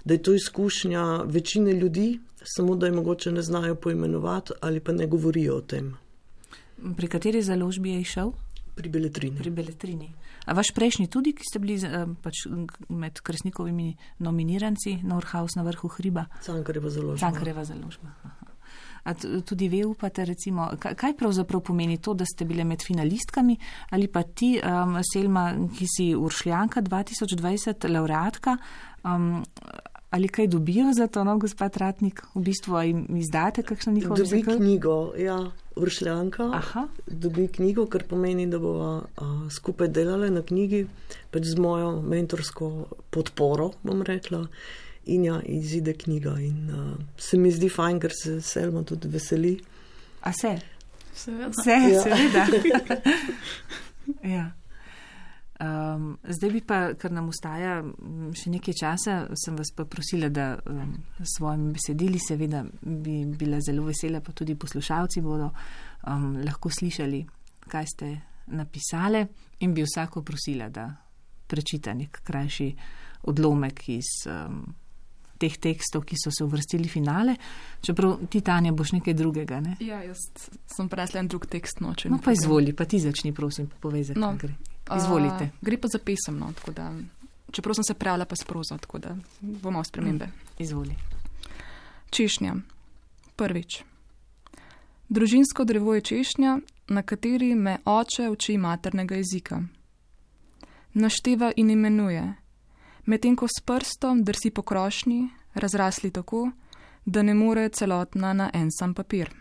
da je to izkušnja večine ljudi, samo da je mogoče ne znajo poimenovati ali pa ne govorijo o tem. Pri kateri založbi je išel? Pri Beletrini. Pri Beletrini. A vaš prejšnji tudi, ki ste bili pač med Kresnikovimi nominiranci, Norhaus na vrhu hriba? Cankarjeva založba. Cankarjeva založba. A tudi ve upate, recimo, kaj pravzaprav pomeni to, da ste bile med finalistkami, ali pa ti, Selma, ki si Uršljanka 2020, laureatka, ali kaj dobijo za to, no, gospod Ratnik, v bistvu jim izdate kakšno njihovo Dobi knjigo, ja, Uršljanka. Aha. Dobi knjigo, kar pomeni, da bova skupaj delale na knjigi, pač z mojo mentorsko podporo, bom rekla. In ja, izide knjiga in se mi zdi fajn, ker se Selma tudi veseli. A se? Seveda. Seveda. Ja. Zdaj bi pa, ker nam ostaja še nekaj časa, sem vas pa prosila, da s svojimi besedili, seveda bi bila zelo vesela, pa tudi poslušalci bodo lahko slišali, kaj ste napisale, in bi vsako prosila, da prečita nek krajši odlomek iz teh tekstov, ki so se uvrstili v finale. Čeprav ti, Tanja, boš nekaj drugega, ne? Ja, jaz sem presla en drug tekst noče. No pa izvoli, pa ti začni, prosim, povej, za kaj gre. Izvolite. Gre pa za pesem, no, tako da, čeprav sem se prijavila pa s prozo, tako da bomo spremembe. Izvoli. Češnja. Prvič. Družinsko drevo je češnja, na kateri me oče uči maternega jezika. Našteva in imenuje, medtem ko s prstom drsi po krošnji, razrasli tako, da ne more celotna na en sam papir.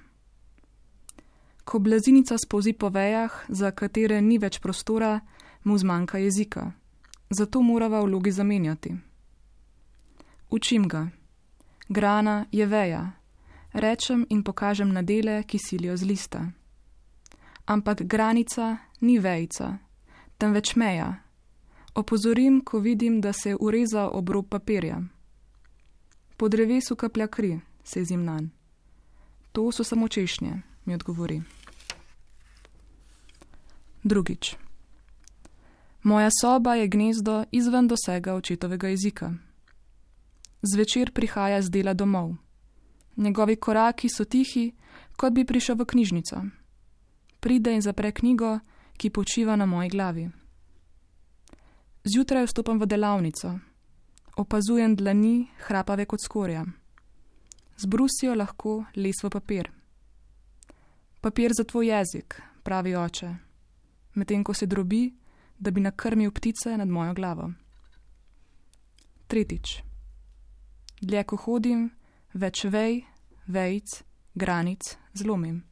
Ko blazinica spolzi po vejah, za katere ni več prostora, mu zmanjka jezika. Zato morava vlogi zamenjati. Učim ga. Grana je veja. Rečem in pokažem na dele, ki silijo z lista. Ampak granica ni vejica, temveč meja. Opozorim, ko vidim, da se ureza obrob papirja. Po drevesu kaplja kri, sezim nanj. To so samo češnje, mi odgovori. Drugič. Moja soba je gnezdo izven dosega očetovega jezika. Zvečer prihaja z dela domov. Njegovi koraki so tihi, kot bi prišel v knjižnico. Pride in zapre knjigo, ki počiva na moji glavi. Zjutraj vstopam v delavnico. Opazujem dlani, hrapave kot skorja. Zbrusijo lahko les v papir. Papir za tvoj jezik, pravi oče, medtem ko se drobi, da bi nakrmil ptice nad mojo glavo. Tretjič. Dlje ko hodim, več vej, vejic, granic zlomim.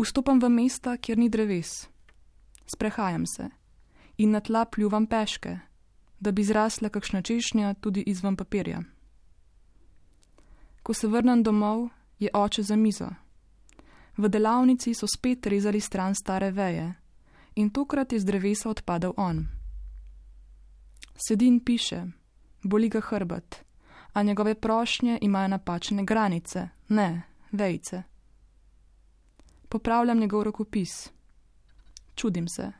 Vstopam v mesta, kjer ni dreves. Sprehajam se in na tla pljuvam peške, da bi zrasla kakšna češnja tudi izven papirja. Ko se vrnem domov, je oče za mizo. V delavnici so spet rezali stran stare veje in tokrat je z drevesa odpadel on. Sedi in piše, boli ga hrbet, a njegove prošnje imajo napačne granice, ne vejice. Popravljam njegov rokopis. Čudim se.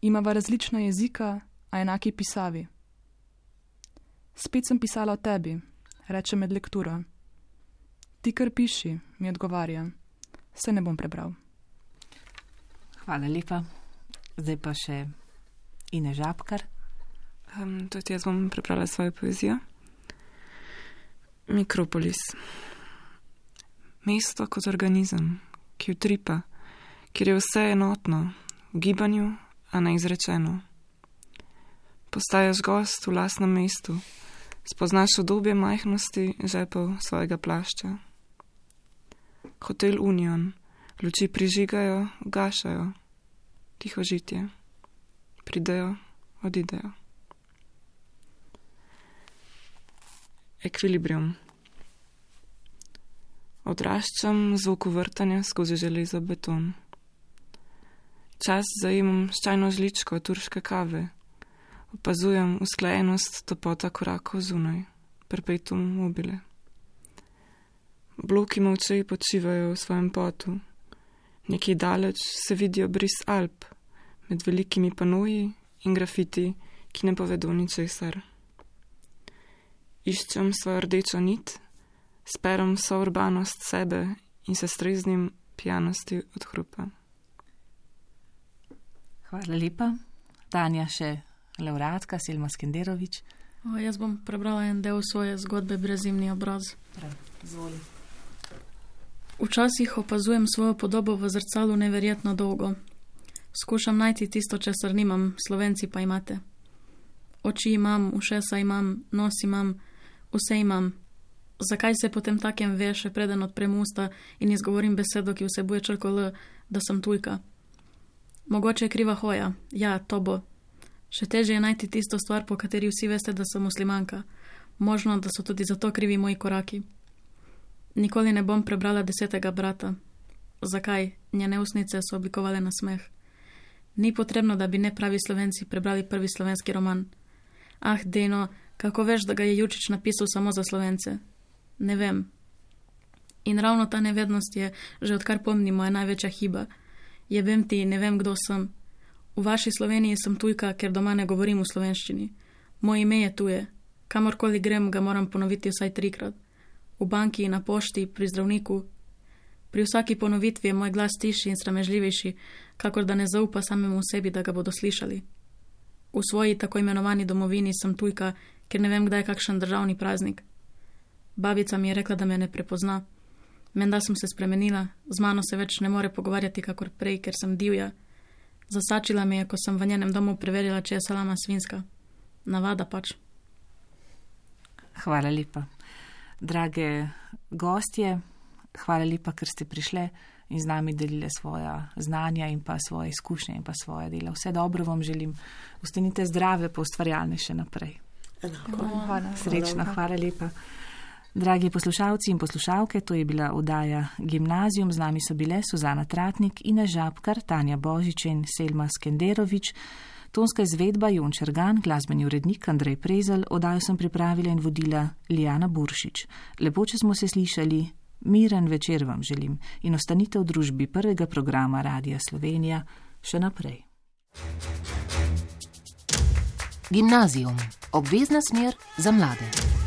Imava različna jezika, a enaki pisavi. Spet sem pisala o tebi, reče med lekturo. Ti kar piši, mi odgovarja. Se ne bom prebral. Hvala lepa. Zdaj pa še Ine Žabkar. Tudi jaz bom prebrala svojo poezijo. Mikropolis. Mesto kot organizem, ki utripa, kjer je vse enotno, v gibanju, a neizrečeno. Postajaš gost v lastnem mestu, spoznaš obdobje majhnosti žepov svojega plašča. Hotel Union, luči prižigajo, ugašajo, tiho žitje. Pridejo, odidejo. Ekvilibrium. Odraščam zvoku vrtanja skozi železo beton. Čas zajemam s čajno žličko turške kave. Opazujem usklajenost topota korakov zunaj, perpetuum mobile. Bloki molče počivajo v svojem potu. Nekje daleč se vidijo bris Alp, med velikimi panoji in grafiti, ki ne povedo ničesar. Iščem svojo rdečo nit, sperem vso urbanost sebe in se streznim pijanosti od hrupa. Hvala lepa. Tanja, še laureatka Selma Skenderović. Jaz bom prebrala en del svoje zgodbe Brezimni obraz. Zvoli. Včasih opazujem svojo podobo v zrcalu neverjetno dolgo. Skušam najti tisto, česar nimam, Slovenci pa imate. Oči imam, ušesa imam, nos imam, vse imam. Zakaj se potem takem ve, še preden odprem usta in izgovorim besedo, ki vsebuje črko L, da sem tujka? Mogoče je kriva hoja. Ja, to bo. Še težje je najti tisto stvar, po kateri vsi veste, da sem muslimanka. Možno, da so tudi zato krivi moji koraki. Nikoli ne bom prebrala 10. brata. Zakaj? Njene usnice so oblikovale na smeh. Ni potrebno, da bi nepravi Slovenci prebrali prvi slovenski roman. Ah, Deno, kako veš, da ga je Jučić napisal samo za Slovence? Ne vem. In ravno ta nevednost je, že odkar pomnim, moja največja hiba. Jebem ti, ne vem, kdo sem. V vaši Sloveniji sem tujka, ker doma ne govorim v slovenščini. Moje ime je tuje. Kamorkoli grem, ga moram ponoviti vsaj 3-krat. V banki, na pošti, pri zdravniku. Pri vsaki ponovitvi je moj glas tišji in sramežljivejši, kakor da ne zaupa samemu sebi, da ga bodo slišali. V svoji tako imenovani domovini sem tujka, ker ne vem, kdaj je kakšen državni praznik. Babica mi je rekla, da me ne prepozna. Menda sem se spremenila, z mano se več ne more pogovarjati kakor prej, ker sem divja. Zasačila me je, ko sem v njenem domu preverila, če je salama svinska. Navada pač. Hvala lepa. Drage gostje, hvala lepa, ker ste prišle in z nami delile svoja znanja in pa svoje izkušnje in pa svoje dela. Vse dobro vam želim. Ostanite zdrave, pa ustvarjalne še naprej. Srečno, hvala lepa. Dragi poslušalci in poslušalke, to je bila oddaja Gimnazijum. Z nami so bile Suzana Tratnik, Ina Žabkar, Tanja Božič in Selma Skenderović. Tonska izvedba Jon Čergan, glasbeni urednik Andrej Prezelj, oddajo sem pripravila in vodila Lijana Buršič. Lepo, če smo se slišali, miren večer vam želim in ostanite v družbi prvega programa Radia Slovenija še naprej. Gimnazijum. Obvezna smer za mlade.